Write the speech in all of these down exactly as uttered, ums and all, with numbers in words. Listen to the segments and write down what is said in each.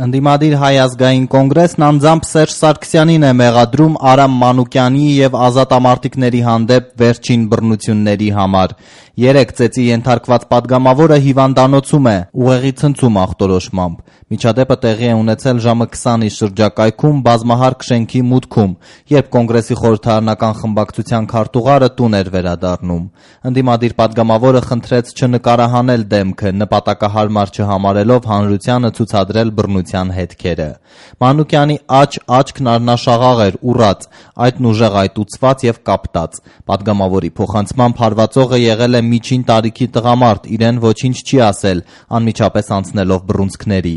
Ընդդիմադիր Հայ ազգային կոնգրեսն անձամբ Սերժ Սարգսյանին է մեղադրում Արամ Մանուկյանի և ազատամարտիկների հանդեպ վերջին բռնությունների համար։ Երեկ ծեծի ենթարկված պատգամավորը հիվանդանոցում է, ուղեղի ցնցում ախտորոշմամբ։ Միջադեպը տեղի է ունեցել ժամը քսանի շրջակայքում բազմահարկ շենքի մուտքում, երբ կոնգրեսի խորհրդարանական խմբակցության քարտուղարը տուն էր վերադառնում։ Ընդդիմադիր պատգամավորը խնդրեց չնկարահանել դեմքը, նպատակահարմար չհամարելով հանրությանը ցուցադրել բռնության հետքերը։ Մանուկյանի աջ աչքն առնաշաղաղ էր, ուռած, այդն ուժեղ այտուցված և կապտած։ Պատգամավորի փոխանցմամբ հարվածողը եղել է միջին տարիքի տղամարդ, իրեն ոչինչ չի ասել, անմիջապես անցնելով բռունցքների։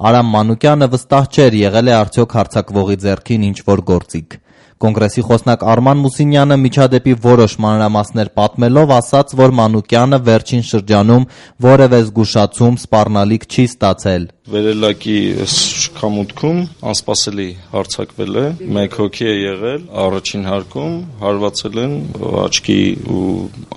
Արամ Մանուկյանը վստահ չէր, եղել է արդյոք հարձակվողի ձեռքին ինչ-որ գործիք։ Կոնգրեսի խոսնակ Արման Մուսինյանը միջադեպի որոշ մանրամասներ պատմելով ասաց, որ Մանուկյանը վերջին շրջանում որևէ զգուշացում, սպառնալիք չի ստացել։ Վերելակի շքամուտքում անսպասելի հարձակվել է, մեկ հոգի է եղել, առաջին հարկում հարվածել են աչքի ու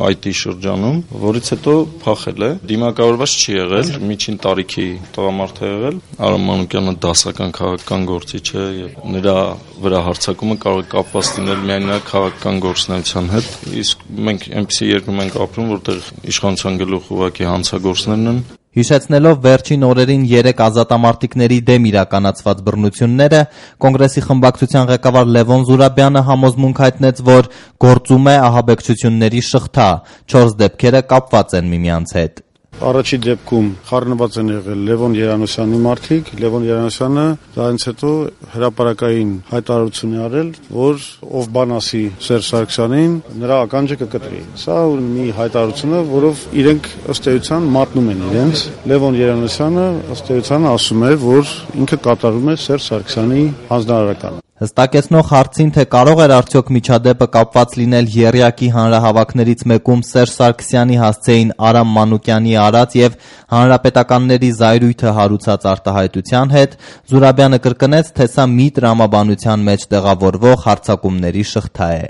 այտի շրջանում, որից հետո փախել է, դիմակավորված չի եղել, միջին տարիքի տղամարդ է եղել, Արամ Մանուկյանը դասական քաղաքական գործիչ է եւ նրա վրա հարձակումը կարող է կապված լինել միայն նրա քաղաքական գործունեության հետ, իսկ մենք այնպիսի երկրում ենք ապրում, որտեղ իշխանության գլուխ ուղղակի հանցագործներն են։ Հիշեցնելով վերջին օրերին երեք ազատամարտիկների դեմ իրականացված բռնությունները, կոնգրեսի խմբակցության ղեկավար Լևոն Զուրաբյանը համոզմունք հայտնեց, որ գործում է ահաբեկչությունների շղթա, չորս դեպքերը կապված են միմյանց հետ։ Առաջի դեպքում խառնված են եղել Լևոն Երանոսյանի մարդիկ, Լևոն Երանոսյանը դրանից հետո հրապարակային հայտարարություն է արել, որ ով բան ասի Սերժ Սարգսյանին, նրա ականջը կկտրի։ Սա մի հայտարարություն է, որով իրենք ըստ էության մատնում են իրենց։ Լևոն Երանոսյանը ըստ էության ասում է, որ ինքը կատարում է Սերժ Սարգսյանի հանձնարարականը։ Հստակեցնող հարցին, թե կարող էր արդյոք միջադեպը կապված լինել եռյակի հանրահավաքներից մեկում Սերժ Սարգսյանի հասցեին Արամ Մանուկյանի արած և հանրապետականների զայրույթը հարուցած արտահայտության հետ, Զուրաբյանը կրկնեց, թե սա մի տրամաբանության մեջ տեղավորվող հարձակումների շղթա է։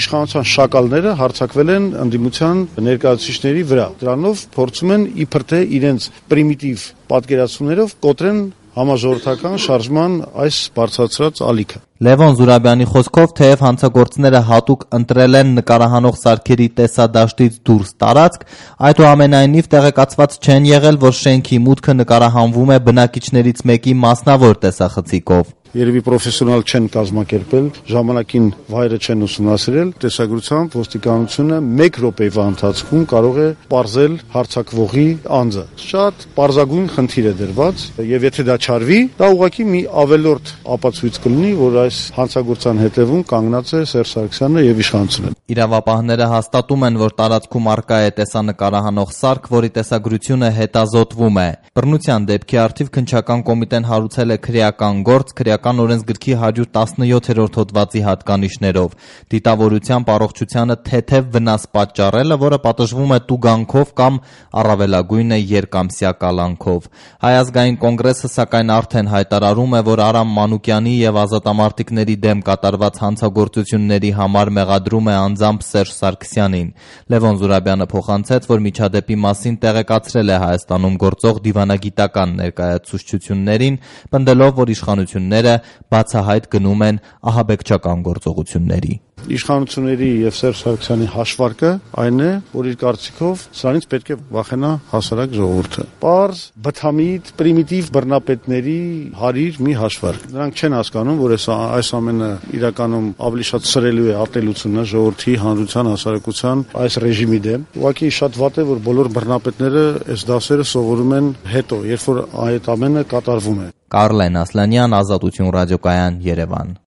Իշխանության շակալները հարձակվել են ընդդիմության ներկայացուցիչների վրա։ Դրանով փորձում են իբր թե իրենց պրիմիտիվ պատկերացումներով կոտրեն համաժողովրդական շարժման այս բարձրացրած ալիքը։ Լևոն Զուրաբյանի խոսքով, թեև հանցագործները հատուկ ընտրել են նկարահանող սարքերի տեսադաշտից դուրս տարածք, այդուամենայնիվ տեղեկացված չեն եղել, որ շենքի մուտքը նկարահանվում է բնակիչներից մեկի մասնավոր տեսախցիկով։ Երևի պրոֆեսիոնալ չեն կազմակերպել, ժամանակին վայրը չեն ուսումնասիրել, տեսագրությամբ ոստիկանությունը մեկ րոպեվա ընթացքում կարող է պարզել հարձակվողի անձը։ Շատ պարզագույն խնդիր է դրված, եւ եթե դա չարվի, դա ուղղակի մի ավելորդ ապացույց կլինի, որ այս հանցագործության հետևում կանգնած է Սերժ Սարգսյանը եւ իշխանությունը։ Իրավապահները հաստատում են, որ տարածքում առկա է տեսանկարահանող սարք, որի տեսագրությունը հետազոտվում է։ Բռնության դեպքի առթիվ քննչական կոմիտեն հարուցել է քրեական գործ, քրեական օրենսգրքի հարյուր տասնյոթերորդ հոդվածի հատկանիշներով, դիտավորությամբ առողջությանը թեթև վնաս պատճառելը, որը պատժվում է տուգանքով կամ առավելագույնը երկամսյա կալանքով։ Հայ ազգային կոնգրեսը սակայն արդեն հայտարարում է, որ Արամ Մանուկյանի եւ ազատամարտիկների դեմ կատարված հանցագործությունների համար մեղադրում է անձամբ Սերժ Սարգսյանին։ Լևոն Զուրաբյանը փոխանցեց, որ միջադեպի մասին տեղեկացրել է Հայաստանում գործող դիվանագիտական ներկայացուցչություններին, պնդելով, որ իշխանությունները բացահայտ գնում են ահաբեկչական գործողությունների։ Իշխանությունների եւ Սերժ Սարգսյանի հաշվարկը այն է, որ իր կարծիքով սրանից պետք է վախենա հասարակ ժողովուրդը։ Պարզ, բթամիտ, պրիմիտիվ բռնապետների հարիր մի հաշվարկ։ Նրանք չեն հասկանում, որ այս այս ամենը իրականում ավելի շատ սրելու է ատելությունը ժողովրդի, հանրության, հասարակության այս ռեժիմի դեմ։ Ուղղակի շատ վատ է, որ բոլոր բռնապետները այս դասերը սովորում են հետո, երբ որ այդ ամենը կատարվում է։ Կարլեն Ասլանյան, Ազատություն ռադիոկայան, Երևան։